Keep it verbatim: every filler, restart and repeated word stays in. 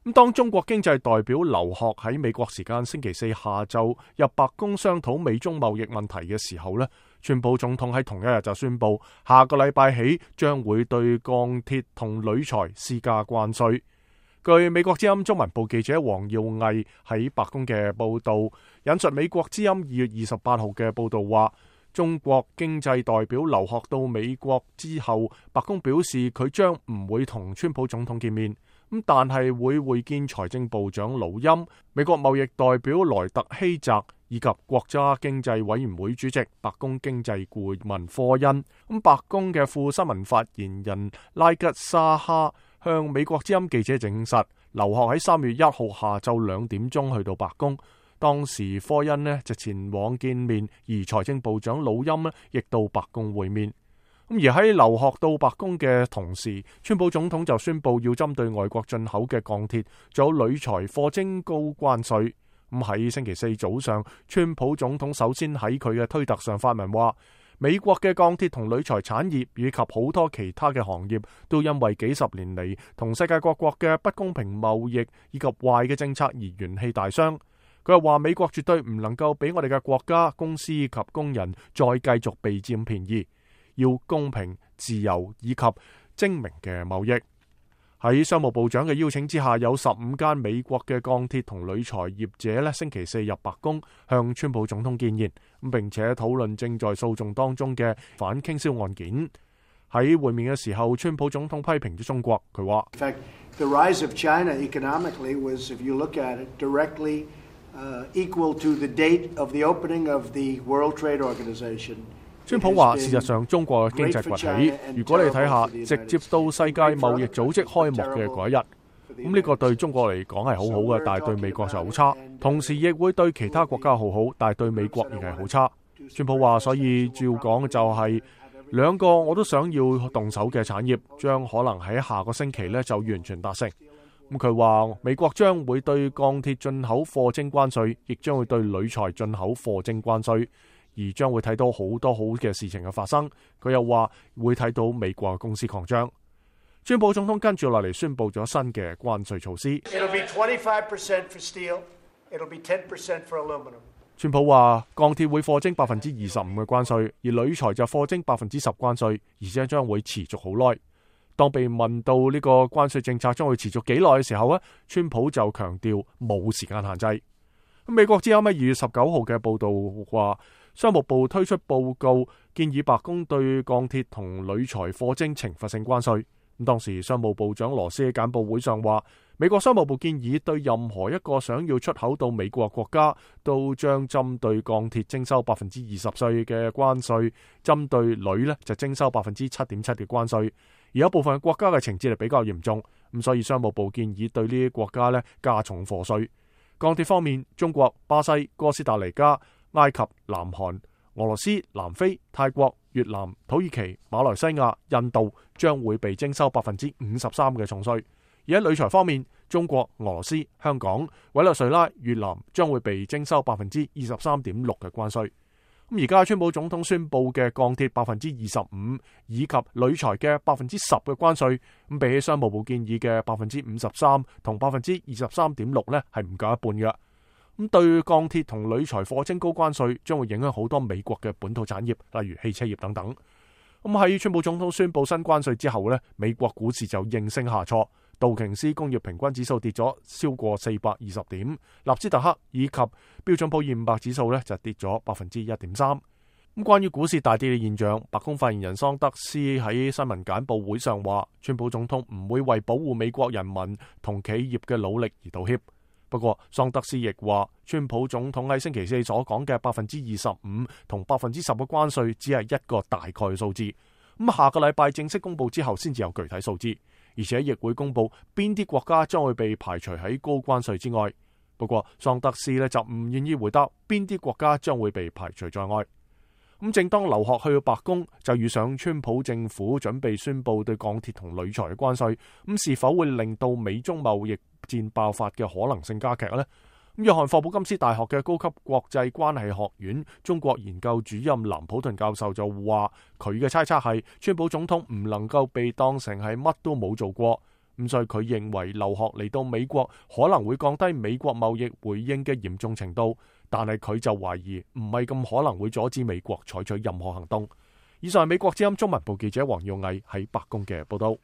咁當中國經濟代表劉鶴喺美國時間星期四下晝入白宮商討美中貿易問題嘅時候呢，川普總統喺同一日就宣布，下個禮拜起將會對鋼鐵同鋁材施加關稅。據美國之音中文部記者黃耀毅喺白宮嘅報道，引述美國之音二月二十八號嘅報道話，中國經濟代表劉鶴到美國之後，白宮表示佢將唔會同川普總統見面。咁但係會會見財政部長魯欽、美國貿易代表萊特希澤以及國家經濟委員會主席、白宮經濟顧問科恩。咁白宮嘅副新聞發言人拉吉沙哈向美國之音記者證實，劉鶴喺三月一號下晝兩點鐘去到白宮，當時科恩呢就前往見面，而財政部長魯欽呢亦到白宮會面。咁而喺劉鶴到白宮嘅同時，川普總統就宣布要針對外國進口嘅鋼鐵仲有鋁材課徵高關稅。咁喺星期四早上，川普總統首先喺佢嘅推特上發文話，美國嘅鋼鐵同鋁材產業以及好多其他嘅行業都因為幾十年嚟同世界各國嘅不公平貿易以及壞嘅政策而元氣大傷。佢又話美國絕對唔能夠俾我哋嘅國家、公司及工人再繼續被佔便宜。要公平、自由以及精明嘅貿易。喺商務部長嘅邀請之下，有十五間美國嘅鋼鐵同鋁材業者咧，星期四入白宮向川普總統見面，並且討論正在訴訟當中嘅反傾銷案件。喺會面嘅時候，川普總統批評咗中國，佢話：In fact, the rise of China economically was, if you look at it, directly uh, equal to the date of the opening of the World Trade Organization。川普話：事實上，中國嘅經濟崛起，如果你睇下，直接到世界貿易組織開幕嘅嗰一日，咁呢個對中國嚟講係好好嘅，但係對美國就好差。同時亦會對其他國家好好，但係對美國亦係好差。川普話：所以照講就係兩個我都想要動手嘅產業，將可能喺下個星期呢就完全達成。咁佢話美國將會對鋼鐵進口課徵關稅，亦將會對鋁材進口課徵關稅。而將會睇到好多好嘅事情嘅發生。佢又話會睇到美國嘅公司擴張。川普總統跟住落嚟宣布咗新嘅關稅措施。It'll be twenty-five percent for steel. It'll be ten percent for aluminum. 川普話鋼鐵會課徵百分之二十五嘅關稅，而鋁材就課徵百分之十關稅，而且將會持續好耐。當被問到呢個關稅政策將會持續幾耐嘅時候咧，川普就強調冇時間限制。美國之音喺二月十九號嘅報道話，商務部推出報告，建議白宮對鋼鐵同鋁材課徵懲罰性關稅。咁當時商務部長羅斯喺簡報會上話，美國商務部建議對任何一個想要出口到美國國家，都將針對鋼鐵徵收百分之二十稅嘅關稅，針對鋁呢就徵收百分之七點七嘅關稅。而有部分國家嘅情節係比較嚴重，咁所以商務部建議對呢啲國家呢加重課稅。鋼鐵方面，中國、巴西、哥斯達黎加、埃及、南韓、俄羅斯、南非、泰國、越南、土耳其、馬來西亞、印度將會被徵收百分之五十三嘅重稅。而喺鋁材方面，中國、俄羅斯、香港、委內瑞拉、越南將會被徵收百分之二十三點六嘅關稅。咁而家川普總統宣布嘅鋼鐵百分之二十五以及鋁材嘅百分之十嘅關稅，咁比起商務部建議嘅百分之五十三同百分之二十三點六呢，係唔夠一半嘅。咁對鋼鐵同鋁材課徵高關稅，將會影響好多美國嘅本土產業，例如汽車業等等。咁喺川普總統宣布新關稅之後呢，美國股市就應聲下挫，道瓊斯工業平均指數跌咗超過四百二十點，納斯達克以及標準普爾五百指數呢就跌咗百分之一點三。咁關於股市大跌嘅現象，白宮發言人桑德斯喺新聞簡報會上話，川普總統唔會為保護美國人民同企業嘅努力而道歉。不過，桑德斯亦話，川普總統喺星期四所講嘅百分之二十五同百分之十嘅關稅，只係一個大概嘅數字。咁下個禮拜正式公布之後，先至有具體數字，而且亦會公布邊啲國家將會被排除喺高關稅之外。不過，桑德斯呢就唔願意回答邊啲國家將會被排除在外。咁正當劉鶴去到白宮，就遇上川普政府準備宣布對鋼鐵同鋁材嘅關稅，咁是否會令到美中貿易戰爆發嘅可能性加劇呢？咁約翰霍普金斯大學嘅高級國際關係學院中國研究主任藍普頓教授就話，佢嘅猜測係川普總統唔能夠被當成係乜都冇做過，咁所以佢認為留學嚟到美國可能會降低美國貿易回應嘅嚴重程度，但係佢就懷疑唔係咁可能會阻止美國採取任何行動。以上係美國之音中文部記者黃耀毅喺白宮嘅報道。